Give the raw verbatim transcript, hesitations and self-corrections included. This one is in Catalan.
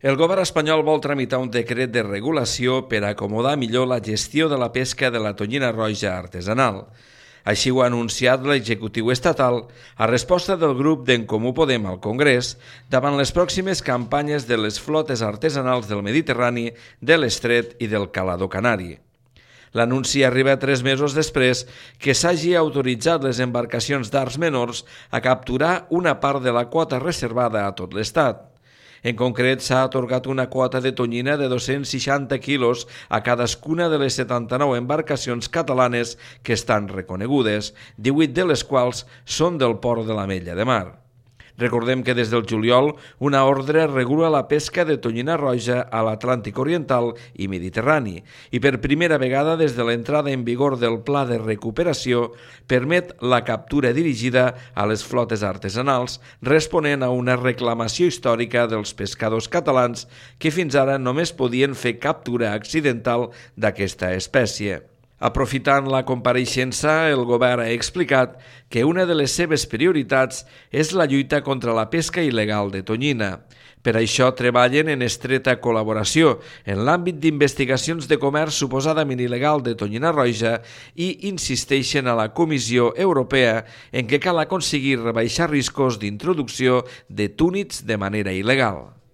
El govern espanyol vol tramitar un decret de regulació per acomodar millor la gestió de la pesca de la tonyina roja artesanal. Així ho ha anunciat l'executiu estatal a resposta del grup d'En Comú Podem al Congrés davant les pròximes campanyes de les flotes artesanals del Mediterrani, de l'Estret i del Calador Canari. L'anunci arriba tres mesos després que s'hagi autoritzat les embarcacions d'arts menors a capturar una part de la quota reservada a tot l'Estat. En concret, s'ha atorgat una quota de tonyina de dos-cents seixanta quilos a cadascuna de les setanta-nou embarcacions catalanes que estan reconegudes, divuit de les quals són del port de l'Ametlla de Mar. Recordem que des del juliol una ordre regula la pesca de tonyina roja a l'Atlàntic Oriental i Mediterrani i per primera vegada des de l'entrada en vigor del Pla de Recuperació permet la captura dirigida a les flotes artesanals responent a una reclamació històrica dels pescadors catalans que fins ara només podien fer captura accidental d'aquesta espècie. Aprofitant la compareixença, el govern ha explicat que una de les seves prioritats és la lluita contra la pesca il·legal de tonyina. Per això treballen en estreta col·laboració en l'àmbit d'investigacions de comerç suposadament il·legal de tonyina roja i insisteixen a la Comissió Europea en què cal aconseguir rebaixar riscos d'introducció de túnids de manera il·legal.